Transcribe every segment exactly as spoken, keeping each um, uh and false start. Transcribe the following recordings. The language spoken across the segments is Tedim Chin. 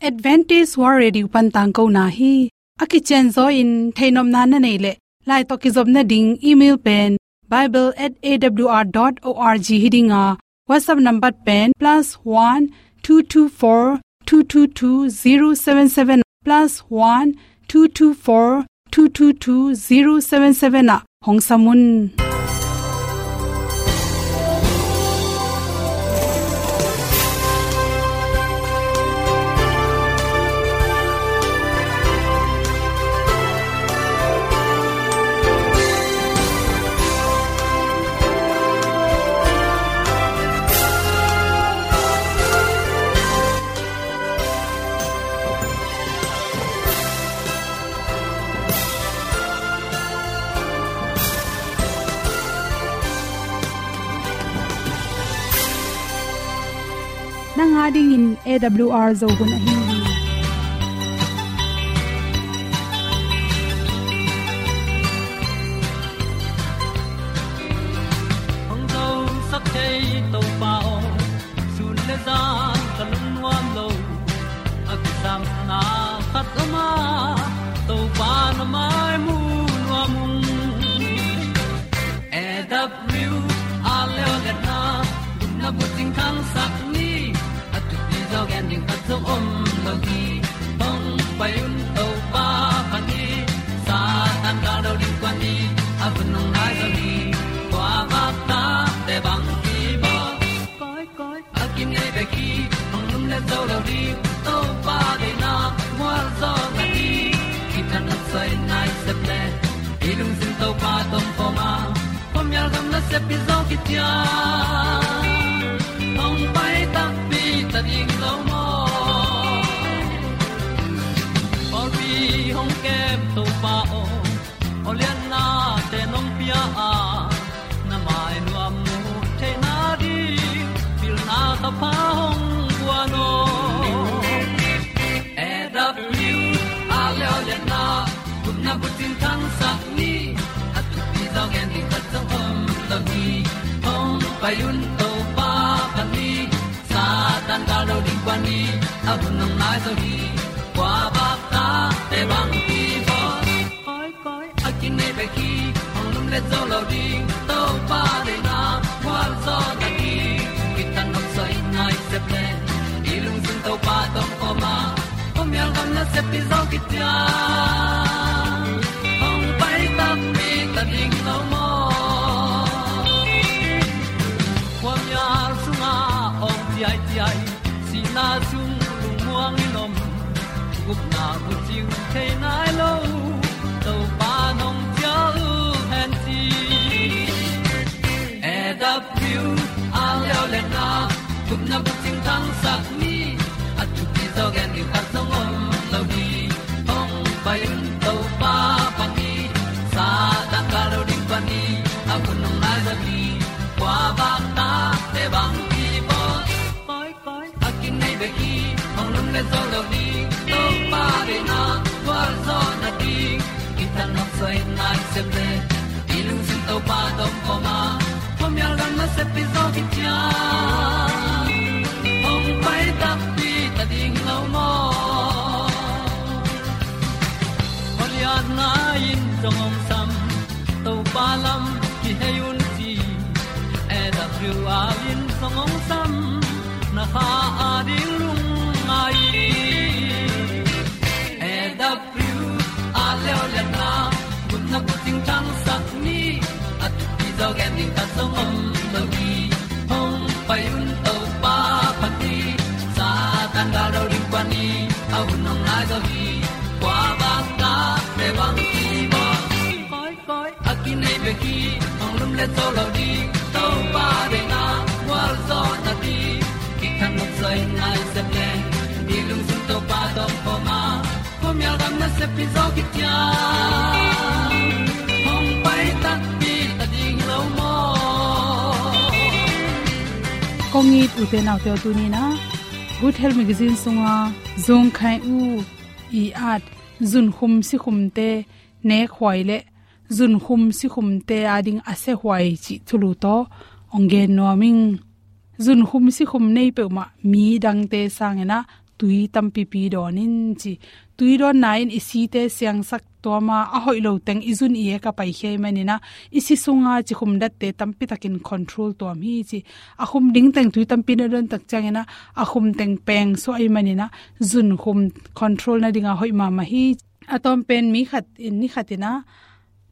Adventist World Radio pan tangkona hi. A kicianzaw in theihnopna na neih leh, lai tawh kizopna ding email pen bible at A W R dot org hi ding a, WhatsApp number pen plus one two two four two two two zero seven seven, plus one two two four two two two zero seven seven ah hong sam un. Nang a dingin A W R Zo hun ahi hi. Hong zosak thei Topa aw, sun le zan ka lungnuam lo. A kisapna khat om a, Topa na mai mu nuam ung. A W R Zo hun a, gupna bucing thangsak ni. A thupi zaw gen ding khat zong om lo hi. Hong pai un Topa phat ni. Satan gal do ding kuan ni. A hun hong nai zo hi. Kua vak ta te bang ki bawl. Koi, koi, a kinei bek hi, hong lumlet zo lo ding. Topa deihna mual zaw na ding. Kithanuam soi nai sep le, i lungsim Topa tawh om khawm a, khuamial gam nasep hi zaw kician. Hong pai takpi ta ding lo maw. Pawlpi hong kem Topa aw, awliatnate nong pia a, na mai nuam mu theihna ding pilna ka pha hong guan aw. A W R Zo hun a, gupna bucing thangsak ni. A thupi zaw gen ding khat zong om lo hi. Hong pai un Topa phat ni. Satan gal do ding kuan ni. A hun hong nai zo hi. Kua vak ta te bang ki bawl. Koi, koi, a kinei bek hi, hong lumlet zo lo ding. Topa deihna mual zaw na ding. Kithanuam soi nai sep le, i lungsim Topa tawh om khawm a, khuamial gam nasep hi zaw kician. Hong pai takpi ta ding lo maw. Khuamial sungah awng ciaiciai, sihna sung lungmuang in om. Gupna bucing thei nai lo, Topa nong cial hen ci. A W R Zo hun a, gupna bucing thangsak ni. A thupi zaw gen ding khat zong om lo hi. Hong pai un Topa phat ni. Satan gal do ding kuan ni. A hun hong nai zo hi. Kua vak ta te bang ki bawl. Koi, koi, a kinei bek hi, hong lumlet zo lo ding. Topa deihna mual zaw na ding. Kithanuam soi nai sep le, i lungsim Topa tawh om khawm a, khuamial gam nasep hi zaw kician. Hong pai takpi ta ding lo maw. Awliatna in zong hong sam, Topa lam kihei un ci. A W R in zong hong sam, na kha a ding lungngai. A W R Zo hun a, gupna bucing thangsak ni. A thupi zaw gen ding khat zong om lo hi. Hong pai un Topa phat ni. Satan gal do ding kuan ni. A hun hong nai zo hi. Kua vak ta te bang ki bawl. Koi, koi, a kinei bek hi, hong lumlet zo lo ding. Topa deihna mual zaw na ding. Kithanuam soi nai sep le, i lungsim Topa tawh om khawm a, khuamial gam nasep hi zaw kician. Hong pai takpi ta ding lo maw. Kong it ute naute aw, tuni in a Good Health Magazine sunga Zung Khai U i at zunkhum sikhumte nekhuai le zunkhum sikhumte ading a sehuai cih thulu tawh hong gen nuam ing. Zunkhum sikhum nei peuhmah mi dangte sangin a tui tampipi dawn in ci. Tui dawnna in i site siangsak tuam a, a hoih lo teng i zun i ek a paikhia ahih manin ah, i si sunga cikhum datte tampitakin control tuam hi ci. A khum ding teng tui tampi na dawn tak ciangin ah, a khum teng peng suah ahih manin ah, zunkhum control nading a hoih mahmah hi. A tawm pen mi khat in ni khat in ah,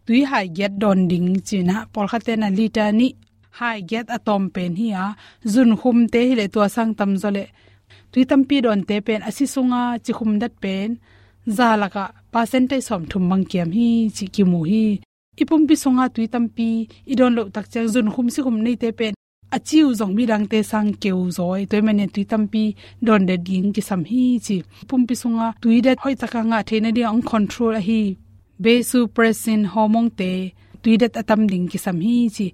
tui hai giat dawn ding ci-in ah, pawlkhat ten ah liter nih hai giat a tawm pen hi a, zunkhumte hi leh tua sang tamzaw leh tui tampi dawnte pen a si sunga cikhum dat pen za lakah percentage sawmthum bang kiam hi cih kimu hi. I pumpi sunga tui tampi i dawn loh tak ciang zunkhum sikhum neite pen a ci uh zong midangte sang keu zaw hi. Tua ahih manin tui tampi dawn det ding kisam hi ci. Pumpi sunga tui det hoih taka ngah theih nading a hong control ahi vasopressin hormone-te tui det a tam ding kisam hi ci.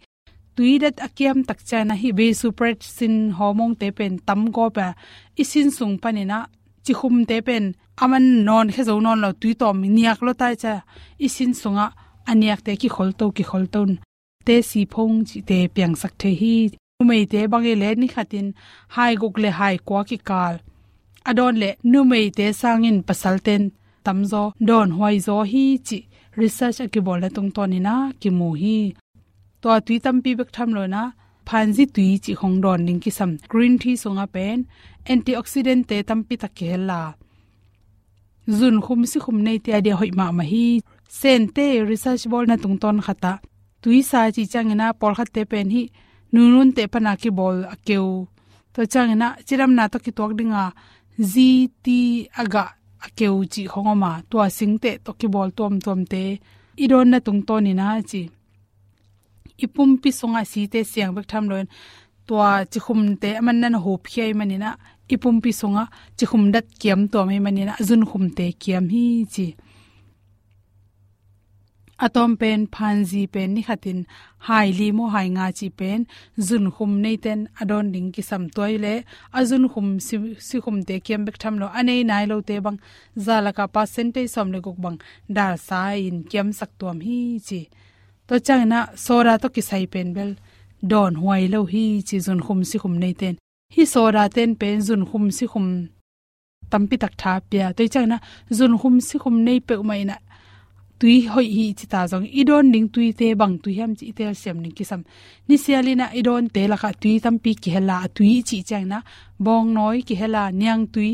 Tui det a kiam tak ciang ah hih vasopressin hormone-te pen tam gawp a, i sin sung panin ah cikhumte pen a man nawn khia zo nawn lo, tui tawm niak lua ta ciang i sin sungah a niakte kikholto kikholto in te siphong cihte piangsak thei hi. Numeite bang hi leh ni khatin hai guk leh hai kua kikal a dawn leh numeite sangin pasalten tamzaw dawnhuai zaw hi cih research a kibawlna tungtawnin ah kimu hi. Tua tui tampi bek tham lo-in ah phanzi tui cih khong dawn ding kisam. Green tea sungah pen antioxidant-te tampi tak kihel a, zunkhum sikhum neite a dia hoih mahmah hi. Sente research bawlna tungtawn khat ah tuisa cih ciangin ah pawlkhatte pen hih nununte pana kibawl a keu, tua ciangin ah cidamna tawh kituak dinga ziti a gah a keu cih khong om a, tua singteh tawh kibawl tuamtuamte i dawnna tungtawnin ah ci. I pumpi sungah site siang bek tham lo-in tua cikhumte a man nan a hupkhia ahih manin ah i pumpi sungah cikhum dat kiam tuam ahih manin ah zunkhumte kiam hi ci. A tawm pen phanzi pen ni khatin hai li maw hai nga cih pen zunkhum neiten a dawn ding kisam. Tua hi leh a zunkhum si, sikhumte kiam bek tham lo, a nei nai lote bang za lakah percentage sawm leh guk bang dalsa in kiamsak tuam hi ci. Tua ciangin ah soda tawh kisai pen bel dawnhuai lo hi ci zunkhum sikhum neiten. Hih soda ten pen zunkhum sikhum tampi tak tha pia. Tua ciangin ah zunkhum sikhum nei peuhmah in ah tui hoih hi ci ta zong i dawn ding tuite bang tui hiam cih i telsiam ding kisam. Nisialin ah i dawnte lakah tui tampi kihel a, a tui i cih ciangin ah bawngnawi kihel a, niangtui,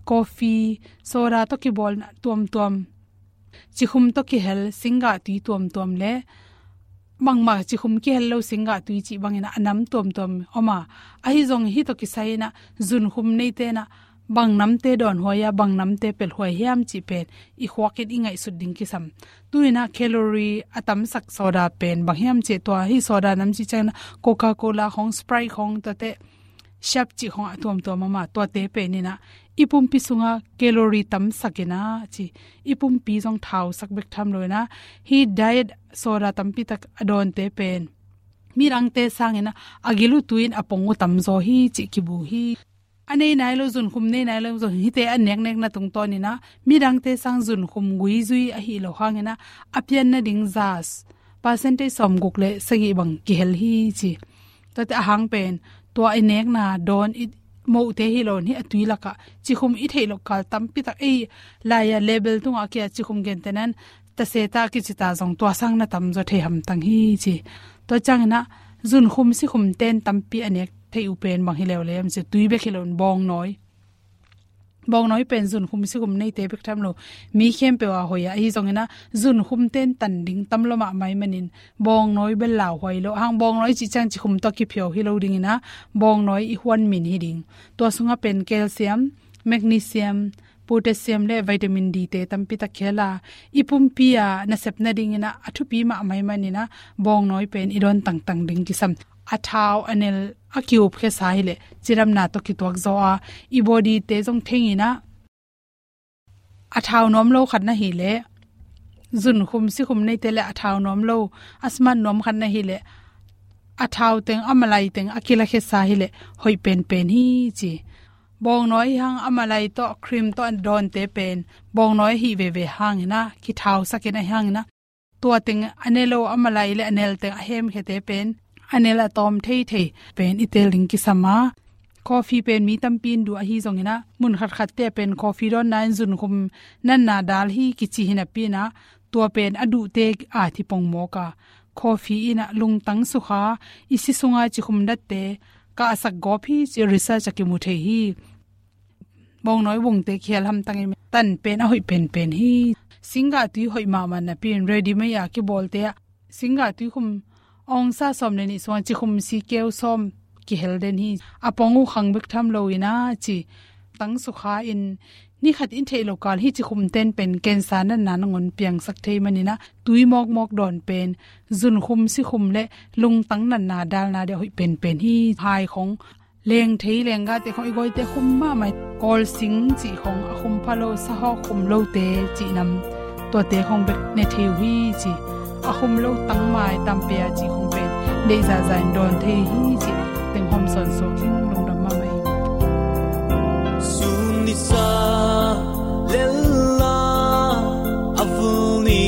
coffee, soda tawh kibawlna tuamtuam, cikhum tawh kihel singgah tui tuamtuam leh bangmah cikhum kihel lo singgah tui cih bangin ah a nam tuamtuam om a, ahi zong hih tawh kisai-in ah zunkhum neiten ah bang namte dawnhuai a, bang namte pelhhuai hiam cih pen i khuakin i ngaihsut ding kisam. Tu-in ah calorie a tamsak soda pen bang hiam cih, tua hih soda nam cih ciangin ah Coca-Cola khong, Sprite khong, tuate Shark cih khong a tuamtuam om a, tuate pen in ah i pumpi sungah calorie tamsak in ah ci, i pumpi zong thausak bek tham lo-in ah hih diet soda tampi tak a dawnte pen midangte sangin ah a gil uh tui-in a pong uh tamzaw hi cih kibu hi. A nei nai lo, zunkhum nei nai lo zong hihte a neknekna tungtawnin ah midangte sang zunkhum guizui ahih loh hangin ah a pianna ding za percentage sawmguk leh sagih bang kihel hi ci. Tuate a hang pen tua i nekna dawn i mohte hi lo-in hih a tui lakah cikhum i theih loh kal tampi tak, ei lai-a label tungah a kia cikhum gentehna-in taseta kici ta zong tua sang na tamzaw thei hamtang hi ci. Tua ciangin ah zunkhum sikhum ten tampi a nek theih uh pen bang hi leuleu hiam cih leh tui bek hi lo-in bawngnawi, bawngnawi pen zunkhum sikhum neite bek tham lo, mi khempeuh a hoih a, ahi zongin ah zunkhum ten tan ding tam lua mahmah ahih manin bawngnawi bel lauhuai lo. Hang bawngnawi cih ciang cikhum tawh kiphiau hi lo dingin ah bawngnawi i huan min hi ding. Tua sungah pen calcium, magnesium, potassium leh vitamin D-te tampi tak kihel a, i pumpi a nasep nadingin ah a thupi mahmah ahih manin ah bawngnawi pen i dawn tangtang ding kisam. A thau a nel a ki-upkhiasa hi leh cidamna tawh kituak zaw a, i body-te zong thengin ah a thau nuam lo khat na hih leh, zunkhum sikhum neite leh a thau nuam lo, a smart nuam khat na hih leh a thau teng, a malai teng a kilakhiasa hi leh hoih penpen hi ci. Bawngnawi hang a malai tawh, cream tawh a dawnte pen bawngnawi ahih veve hangin ah kithausak in, ahi hangin ah tua teng a ne lo, a malai leh a nel teng a hemkhiate pen a nel a tawm theithei pen i tel ding kisam a, Coffee pen mi tampi in duh ahi zongin ah, mun khatkhatte pen coffee dawnna in zunkhum natna dal hi kici hi napi in ah, tua pen a duhte a thi pongmawk a, coffee in ah lungtang sukha, i si sunga cikhum datte kahsak gawp hi ci research ah kimu thei hi. Bawngnawi bungte kihel hamtang in tan pen a hoih penpen hi. Singgah tui hoih mahmah napi in ready made a kibawlte ah singgah tuikhum ongsa sawm le nih sungah cikhum sikeu sawm kihel den hi. A pong uh khang bek tham lo in ah ci. Tang sukha in ni khat in theih lo kal hi cikhum ten pen cancer natna nangawn piangsak thei manin ah, tui mawkmawk dawn pen zunkhum sikhum le lungtang natna dalna deuh hoih penpen hi. Hai khong lengthei lenggahte khong i gawite khum mahmah hi. Kawlsing cih khong a khum pha lo, sahawk khum lote cih nam, tuate khong bek ne thei uh hi ci. A khum lo tangmai tampia cih khong pen deih zahzah in dawn thei hi ci. Teng hawm sawn suak ding, lungdam mahmah hi. Sun nisa lella a vul ni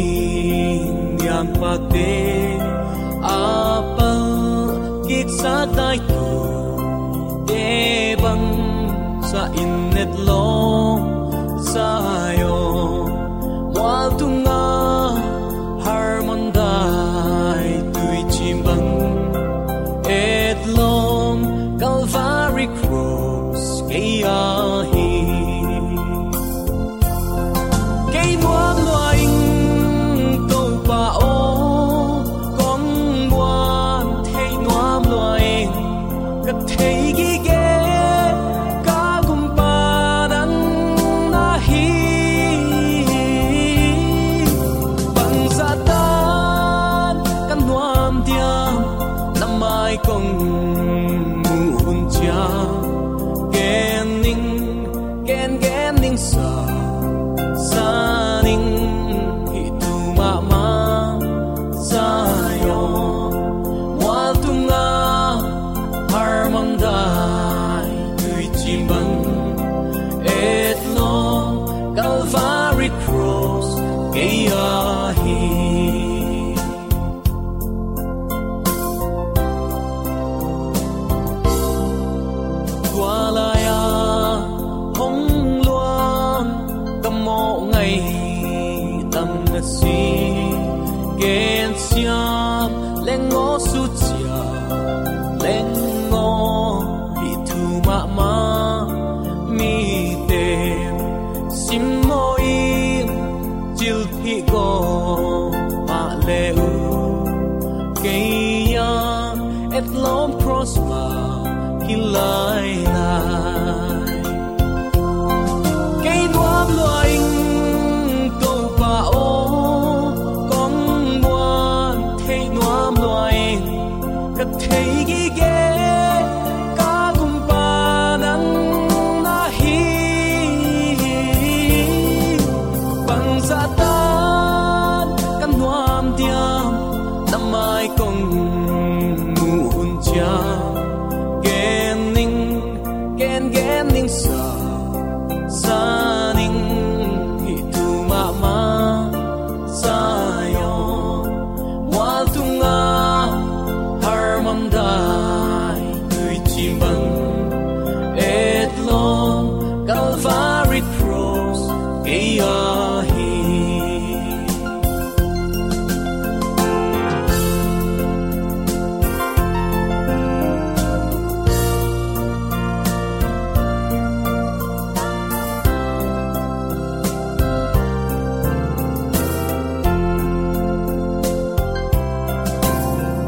niam pakte a pal kiksa dai tu te bang sa in netlawm Zion mual tunga harmon dai tuicim bang etlawm Calvary Cross kei ahi. Kei nuam lua ing Topa aw, kong muan thei nuam lua ing. Ka thei gige ka gumpa nang na hi. Bangzah tan ka nuam diam, na mai kong muh hun ciang. Gen ning, gen gen ning sa, sa ning hih tu mahmah Zion mual tunga harmon dai tuicim bang etlawm Calvary Cross kei ahi. Tua lai-a hong luang ka mawh ngaih tam na si. Gen siam leng aw, sut ciam leng aw, hih thu mahmah mite simmaw in, cilphih gawp mah le uh. Kei a etlawm cross mah hi lailai. Kei nuam lua ing Topa aw, kong muan thei nuam lua ing. Ka thei gige ka gumpa nang na hi. Bangzah tan ka nuam diam, na mai kong muh hun ciang. Gen ning, gen gen ning sa, sa ning hih tu mahmah Zion mual tunga harmon dai tuicim bang etlawm Calvary Cross kei ahi.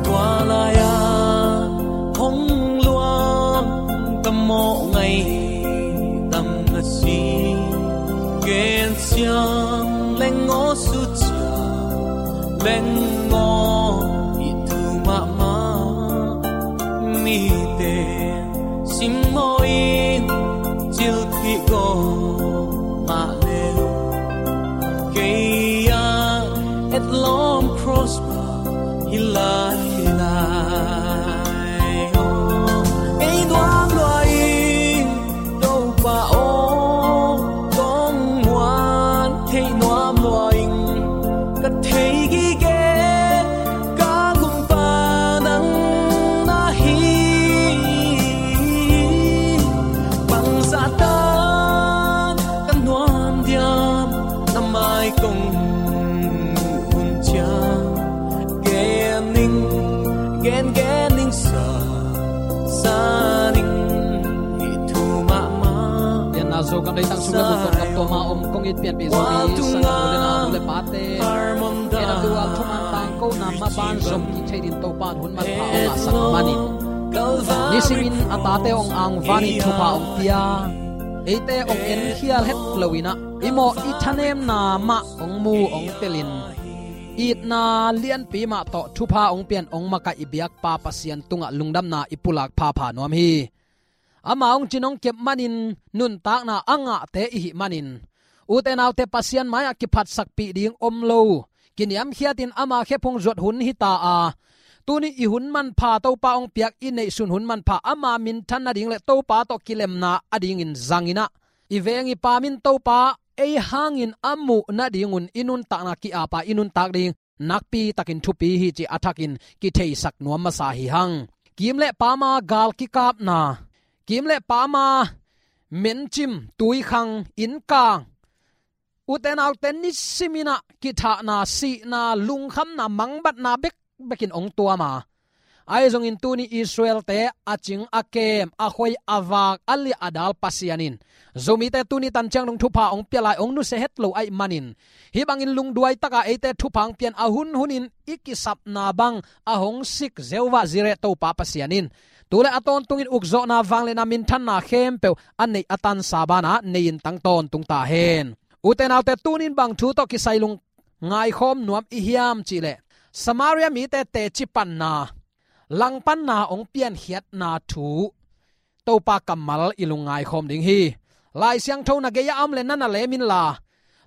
Tua lai-a hong luang ka mawh ngaih tam na si. Gen siam leng aw, sut ciam leng aw, hih tu mahmah mite simmaw in, cilphih gawp mah le uh. Kei a etlawm cross mah hi lailai. Kei nuam lua ing Topa aw, kong muan thei nuam lua ing. Ka thei gige ka gumpa nang na hi. Kong hun ciang gen ning, gen gen ning sa, sa ning hi thu mahmah. Pianna zo kam leitang sung le mun tawh kam tua ma om kong it pianpih Zomi san u le nau le pate, en a tua thuman tangkona maban zom kik thei din Topa in hun manpha hong ngahsak manin, nisimin a tate hong angvanin thupha hong pia, eite hong enkhial het loinah i mawh i thanemna mah hong mu hong telin, itna lianpi mah tawh thupha hong pian hong makaih i biakpa Pasian tungah lungdamna i pulak phapha nuam hi. Ama hong cin hong kep manin nuntakna a ngahte i hih manin, ute naute, Pasian mai-ah kiphatsakpih ding om lo, kiniamkhiatin ama khephung zuat hun hita a, tuni i hun manpha Topa hong piak i neihsun hun manpha ama minthan nading le Topa tawh kilemna adingin zanginah, i veng i pam in Topa ei hangin a muh nadingun i nuntakna ki-apa i nuntak ding nakpitakin thupi hi cih a thakin kitheisak nuam masa hi hang. Kim le pama gal kikapna, kim le pama mencim, tuikhang, innkang, ute naute, nisiminah kithahna, sihna, lungkhamna, mangbatna bekbekin hong tuam a, ahi zongin tuni Israelte a cing a kem, a khoi a vak, a liah a dal Pasian in Zomite tuni tanciang dong thupha hong pia lai hong nusia het lo ahih manin, hih bangin lungduai taka eite thupha hong pian a hunhunin i kisapna bang a hong sik Jehovah Jireh Topa Pasian in tu le a tawntungin ukzawhna, vangliatna, minthanna khempeuh a neih a tansa banah nei-in tang tawntung ta hen. Ute naute, tunin bang thu tawh kisai lung ngaikhawm nuam i hiam cihleh, Samaria mite teci panna, langpanna hong piankhiatna thu Topa kammal i lung ngaikhawm ding hi. Lai Siangtho na gei-ah a om le na na lem inla,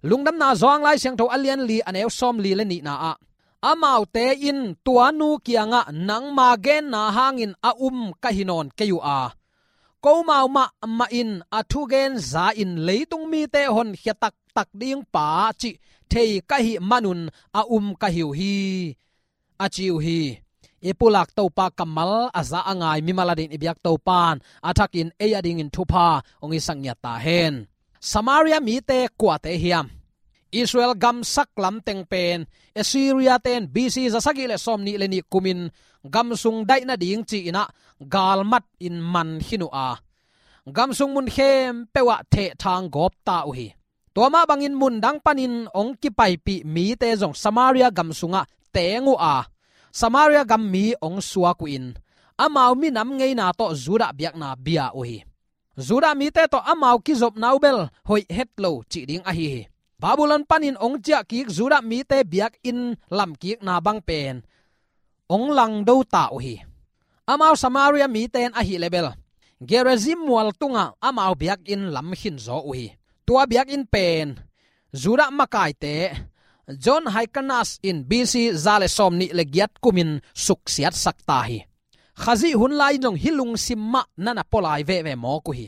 Lungdamna Johan Lai Siangtho a lian li a neu sawmli le nihna ah, amaute in tua nu kiangah, nangma genna hangin a um ka hi nawn kei uh a, komau mahmah in a thugen za-in leitung mite honkhia taktak ding pa cih thei ka hih manun a um ka hi uh hi, a ci uh hi. I pulak Topa kammal a za a ngai mimal adingin i biak Topa'n a thakin ei adingin thupha hong hisak ngiat ta hen. Samaria mite kuate hiam? Israel gam saklam teng pen Assyria-te in B C za sagih le sawmnih le nih kumin gam sung daih nading ci-inah galmat in man khin uh a, gam sung mun khempeuh ah thehthang gawp ta uh hi. Tua mah bangin mun dang panin hong kipaipih mite zong Samaria gam sungah teng uh a, Samaria gam mi hong suak uh in, amau minam ngeina tawh Judah biakna bia uh hi. Judah mite tawh amau kizopna uh bel hoih het lo cih ding ahi hi. Babylon panin hong ciahkik Judah mite biakinn lamkikna bang pen hong langdo ta uh hi. Amau Samaria mite in ahih leh bel Gerizim mual tungah amau biakinn lam khinzaw uh hi. Tua biakinn pen Judah makaite John Hyrcanus in B C za le sawmnih le giat kumin suksiatsak ta hi. Khazih hun lai-in zong hih lungsim mah na na pua lai veve mawk uh hi.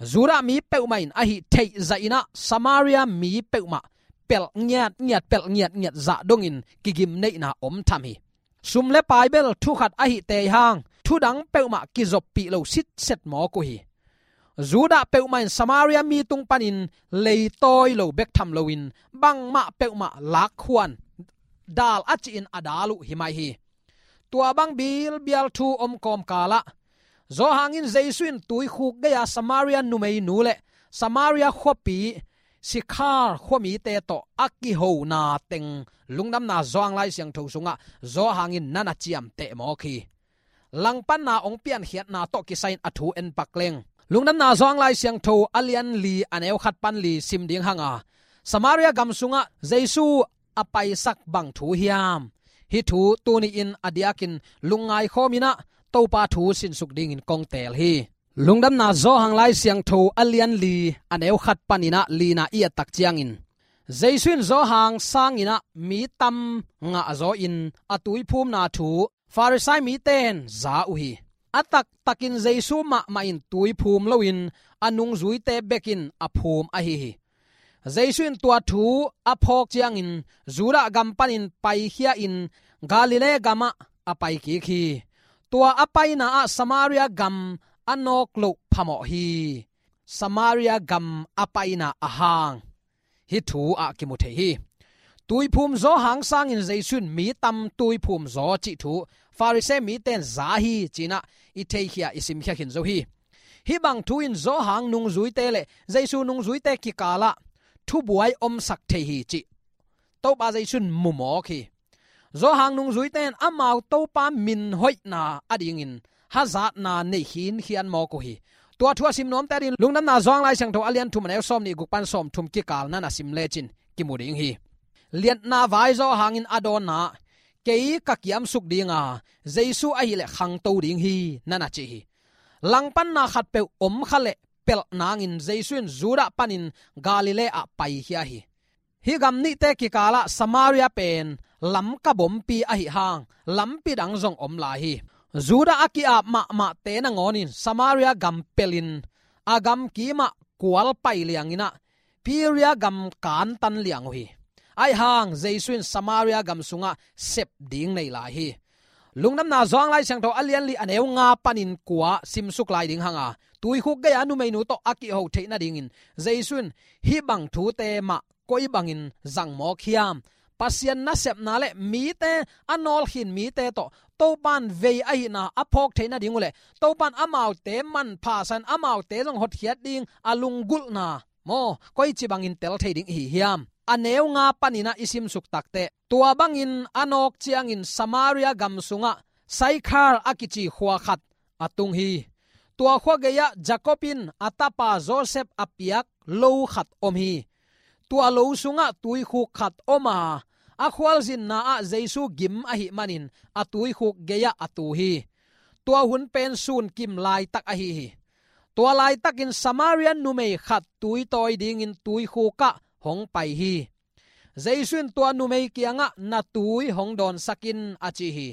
Judah mi peuhmah in ahi theih zahinah Samaria mi peuhmah pelh ngiatngiat, pelh ngiatngiat zah dongin kigimneihna om tham hi. Sum le pai bel thu khat ahi tei hang, thu dang peuhmah kizoppih lo sitset mawk uh hi. Judah peuhmah in Samaria mi tung panin leitawi lo bek tham loin bangmah peuhmah lakhuan, dal a cihin a dal uh hi mai hi. Tua bang bilbial thu om kawmkalah Johan in Jesu in tuikhuk gei-a Samaria numeinu le Samaria khuapi Sikhar khuamite tawh a kihona teng Lungdamna Johan Lai Siangtho sungah Johan in na na ciamteh mawk hi. Langpanna hong piankhiatna tawh kisai-in a thu en pak leng, Lungdamna Johan Lai Siangtho a lian li a neu khat pan li sim ding hang a, Samaria gam sungah Jesu a paisak bang thu hiam? Hih thu tuni-in a diakin lungngaikhawm inah Topa thu sinsuk dingin kong teel hi. Lungdamna Johan Lai Siangtho a lian li a neu khat paninah lina i et tak ciangin, Jesu in Johan sanginah mi tam ngahzaw-in a tuiphumna thu Farisai mite in za uh hi. A taktakin Jesu mahmah in tuiphum loin a nungzuite bekin a phum ahi hi. Jesu in tua thu a phawk ciangin Judah gam panin paikhia-in Galilee gamah a paikik hi. Tua a paina ah Samaria gam a nawk loh phamawh hi. Samaria gam a paina a hang. hih thu ah kimu thei hi. Tuiphum zaw hang sangin Jesu in mi tam tuiphum zaw cih thu Pharisee mite in za hi ci-in ah i theikhia, i simkhia khin zo hi. Hih bang thu in zaw hang nungzuite le Jesu nungzuite kikal ah thubuai omsak thei hi cih Topa Jesu in mu mawk hi. Zaw hang nungzuite in amau Topa min hoihna adingin hazatna nei khinkhian mawk uh hi. Tua thu a sim nuamte adingin Lungdamna Johan Lai Siangtho a lian thum, a neu sawmnih guk pan sawmthum kikal na na sim lecin kimu ding hi. Liatna vai zaw hangin a dawnna ah, "Kei ka kiamsuk ding a, Jesu ahih leh khangto ding hi," na na ci hi. Langpanna khatpeuh om kha leh pelh nangin Jesu in Judah panin Galilee ah paikhia hi. Hih gam nihte kikal ah Samaria pen lamka bompi ahih hang lampi dang zong om lai hi. Judah a ki-ap mahmahte nangawnin Samaria gam pelhin a gam kim ah kual pai liangin ah Perea gam kantan liang uh hi. Ahih hang Jesu in Samaria gam sungah sep ding nei lai hi. Lungdamna Johan Lai Siangtho a lian li, a neu nga panin kua simsuk lai ding hang a, tuikhuk gei-a numeinu tawh a kiho theih nadingin Jesu in hih bang thute mah koi bangin zang mawk hiam? Pasian nasepna le mite, a nawlkhin mite tawh Topa in vei ahihna a phawk theih nading uh leh Topa in amaute manpha sa-in amaute zong hotkhiat ding a lunggulhna maw, koici bangin tel thei ding i hi hiam? A neu nga panin ah i simsuk takteh, tua bangin a nawk ciangin Samaria gam sungah Saikhar a kici khua khat a tung hi. Tua khua gei-ah Jacob in a tapa Joseph a piak lo khat om hi. Tua lo sungah tuikhuk khat om a, a khualzinna ah Jesu gim ahih manin a tuikhuk gei-ah a tu hi. Tua hun pen sun kim laitak ahi hi. Tua laitakin Samaria numei khat tui tawi dingin tuikhuk ah hong pai hi. Jesu in tua numei kiangah, "Na tui hong dawnsak in," a ci hi.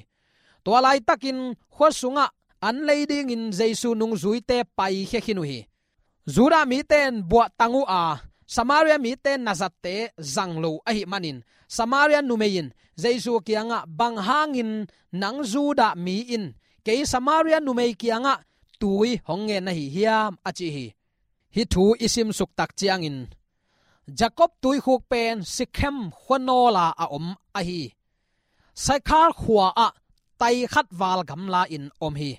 Tua laitakin khua sungah an lei dingin Jesu nungzuite paikhia khin uh hi. Judah mite in buahtang uh a, Samaria mite nazatte zang lo ahih manin Samaria numei in Jesu kiangah, "Bang hangin nang Judah mi in kei Samaria numei kiangah tui hong ngen na hi hiam?" a ci hi. Hih thu i simsuk tak ciangin Jacob tuikhuk pen Sikhem khuanawl ah a om ahi Saikhar khua-ah tai khat val gamla-in om hi.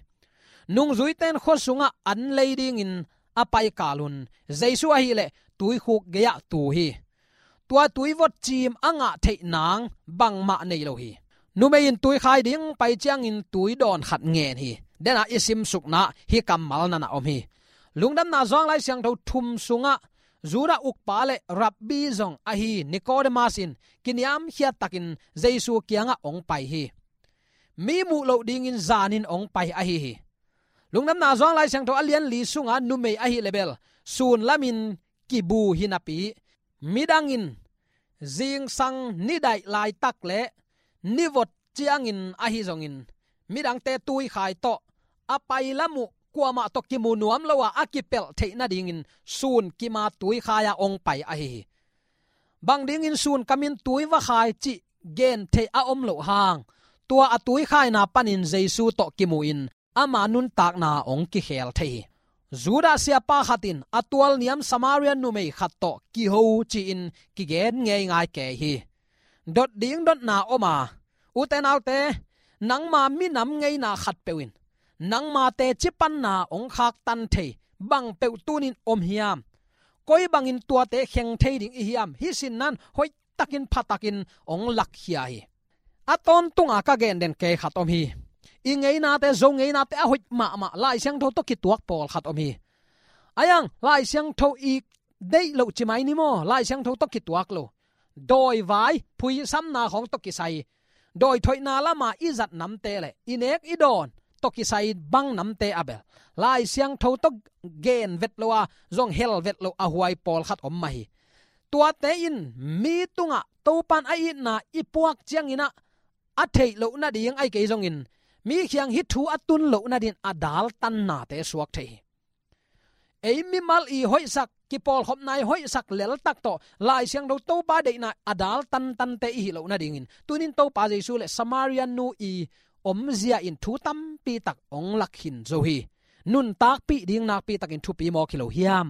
Nungzuite in khua sungah an lei dingin a pai kal un Jesu ahih leh tuikhuk gei-ah tu hi. Tua tuivot cim a ngah theih nang bangmah nei lo hi. Numei in tui khai ding pai ciangin tui dawn khat ngen hi. Dena i simsukna hih kammal na na om hi. Lungdamna Johan Lai Siangtho thum sungah Judah ukpa le Rabbi zong ahi Nicodemus in kiniamkhiat takin Jesu kiangah hong pai hi. Mi muh loh dingin zanin hong pai ahi hi. Lungdamna Johan Lai Siangtho a lian li sunga numei ahih leh bel sun lamin kibu hi napi, midang in zingsang nidaih laitak le nivot ciangin ahi zongin midangte tuikhai tawh a pai lam uh kuamah tawh kimu nuam lo a, a kipelh theih nadingin sun kima tuikhai-a hong pai ahi hi. Bang dingin sun kamin tui va khai cih gen theih a om loh hang, tua a tuikhaina panin Jesu tawh kimu-in ama nuntakna hong kikhel thei hi. Judah siapa khat in a tualniam Samaria numei khat tawh kiho ci-in kigen ngeingai kei hi. Dot ding dotna om a, ute naute, nangma minam ngeina khatpeuh in nangma teci panna hong khaktan thei bang peuh tunin om hiam? Koi bangin tuate kheng thei ding i hiam? Hih sin nan hoihtakin phatakin hong lakkhia hi. A tawntunga ka gen den kei khat om hi. I ngeinate, Zo ngeinate a hoih mahmah Lai Siangtho tawh kituak pawlkhat om hi. Ai ang, Lai Siangtho i deih loh ci mai ni maw, Lai Siangtho tawh kituak lo. Dawivai, phuisamna khawng tawh kisai, dawi thoihna lama i zat namte le i nek i dawn tawh kisai bang namte a bel Lai Siangtho tawh gen vet lo a, zong hel vet lo a huai pawlkhat om mah hi. Tuate in mi tungah Topan a itna i puak ciangin ah a theih loh nading ahi kei zongin mi kiang hih thu a tun loh nadin a daltannate suak thei hi. Ei mimal i hoihsak, kipawlkhopna i hoihsak leltak tawh Lai Siangtho Topa deihna a dal tantante i hih loh nadingin tunin Topa Jesu le Samaria nu i omzia in thu tampi tak hong lak khin zo hi. Nuntakpih ding nakpi takin thupi mawk hi lo hiam?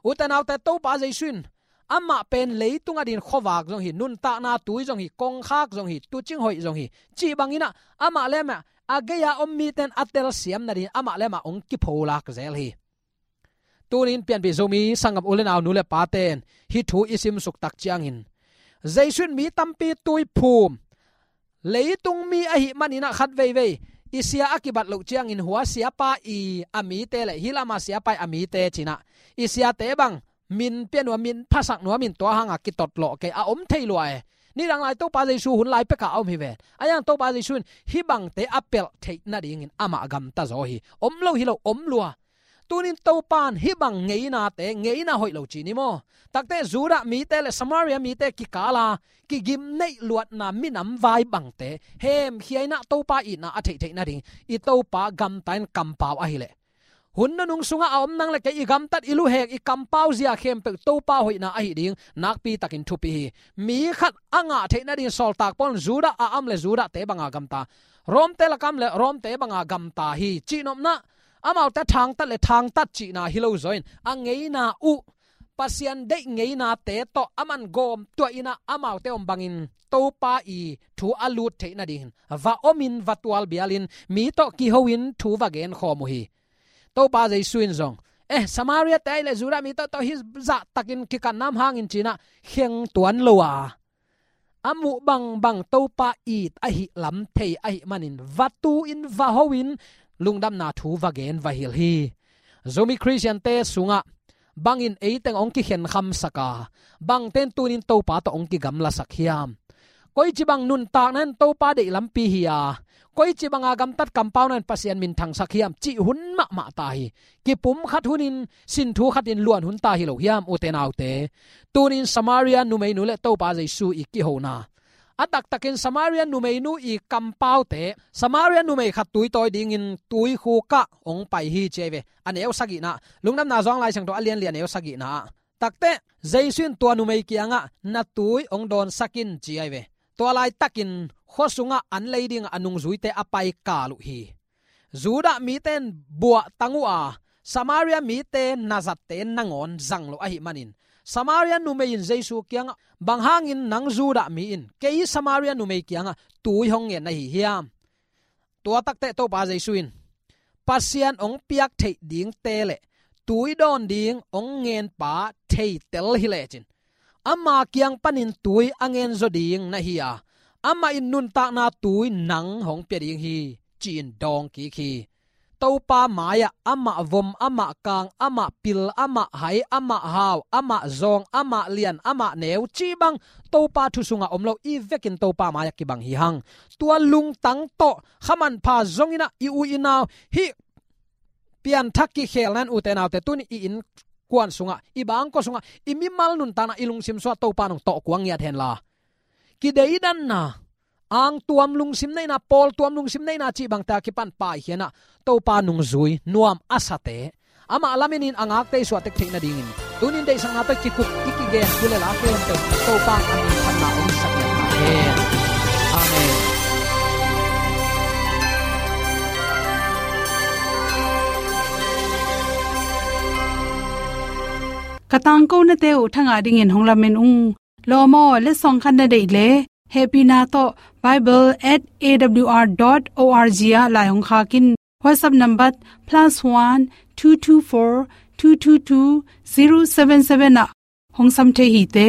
Ute naute, Topa Jesu in amah pen leitung adingin khuavak zong hi, nuntakna tui zong hi, kongkhak zong hi, tuucing hoih zong hi, cih bangin ah amah le amah a gei-a om mite in a telsiam nadingin amah le amah hong kipholak zel hi. Tuni-in pianpih Zomi sanggam u le nau, nu le pate in hih thu i simsuk tak ciangin, Jesu in mi tampi tui phum, leitung mi ahih manin ah khat veivei i sia a kibat loh ciangin hua siapa i a mite le hih lama siapa i a mite ci-in ah i siate bang min pia nuam, min phasak nuam in tua hangah kitotlawh kei a om thei lua e. Nidang lai Topa Jesu hun lai pekah a om hi ven. Ahi hang Topa Jesu in hih bangte a pelh theih nadingin amah gamta zaw hi. Om lo hi lo, om lua. Tuni-in Topa in hih bang ngeinate, ngeina hoih lo ci ni maw? Takte Judah mite le Samaria mite kikal a kigim neih luatna minam vai bangte hemkhia in ah Topa itna a theihtheih nading i Topa gamta in kampau ahih leh, hun nunung sungah a om nang le kei i gamtat, i luhek, i kampau zia khempeuh Topa hoihna ahih ding nakpi takin thupi hi. Mi khat a ngah theih nading sawltak Paul in Judah a om le Judahte banga gamta, Romte lakah a om le Romte banga gamta hi. Cihnopna, amaute thangtat le thangtat cihna hi lo zaw in a ngeina uh, Pasian deih ngeinate tawh aman gawm tuah in ah amaute om bangin Topa i thu a lut theih nadingin va omin, va tualbialin, mi tawh kiho-in thu va genkhawm uh hi. Topa Jesu in zong, eh, Samaria-te ahih leh Judah mite tawh hih zahtakin kikatna om hangin ci-in ah kheng tuan lo a, a muh bangbang Topa it ahih lam thei ahih manin va tu-in, va ho-in, lungdamna thu va gen, va hilh hi. Zomi Khristiante sungah bangin eiteng hong kikhenkhamsak a, bangte in tuni-in Topa tawh hong kigamlasak hiam? Koici bang nuntakna in Topa deih lampi hi a, koici banga gamtat kampauna in Pasian minthangsak hiam cih hun mahmah ta hi. Kipumkhat hunin, sinthu khatin luan hun ta hi lo hiam, ute naute? Tuni-in Samaria numeinu le Topa Jesu i kihona, a taktakin Samaria numeinu i kampaute, Samaria numei khat tuitawi dingin tuikhuk ah hong pai hi, ci ahi ve. A neu sagihna, Lungdamna Johan Lai Siangtho a lian li, a neu sagihna ah, takte Jesu in tua numei kiangah, "Na tui hong dawnsak in," ci ahi ve. Tua laitakin khua sungah an lei dingah a nungzuite a pai kal uh hi. Judah mite in buahtang uh a, Samaria mite nazatte nangawn zang lo ahih manin, Samaria numei in Jesu kiangah, "Bang hangin nang Judah mi in kei Samaria numei kiangah tui hong ngen na hi hiam?" Tua takte Topa Jesu in, "Pasian hong piak theih dingte le tui dawn ding hong ngenpa theitel hi lecin, ama kiang panin tui a ngen zaw ding na hi a, amah in nuntakna tui nang hong pia ding hi," ci-in dawng kik hi. Topa mai-ah amah vom, amah kang, amah pil, amah hai, amah hau, amah zawng, amah lian, amah neu cih bang Topa thu sungah om lo, i vekin Topa mai-ah kibang hi hang. Tua lungtang tawh kha manpha zongin ah i u i nau, hih pianthak kikhelna in, ute naute, tuni i innkuan sungah, i bangkua sungah, i mimal nuntakna, i lungsim sungah Topa in hong tawh kuang ngiat hen la, kideidanna, angtuam lungsim neihna, pawltuam lungsim neihna cih bangte a kipan paikhia-in ah Topa nungzui nuam a sate, amah lamenin a ngakte i suahtek theih nadingin, tuni-in deihsakna tawh kikup i kigen thu le la khempeuh Topa in a minthanna hong sak ngiat ta hen. Amen. Ka tangkonate uh thangah dingin hong lamen ung. Lawm aw, letsong khat na deih leh, hehpihna tawh bible at A W R dot O R G ah lai hong khak in. WhatsApp number plus one two two four two two two zero seven seven ah hong sam thei hi te.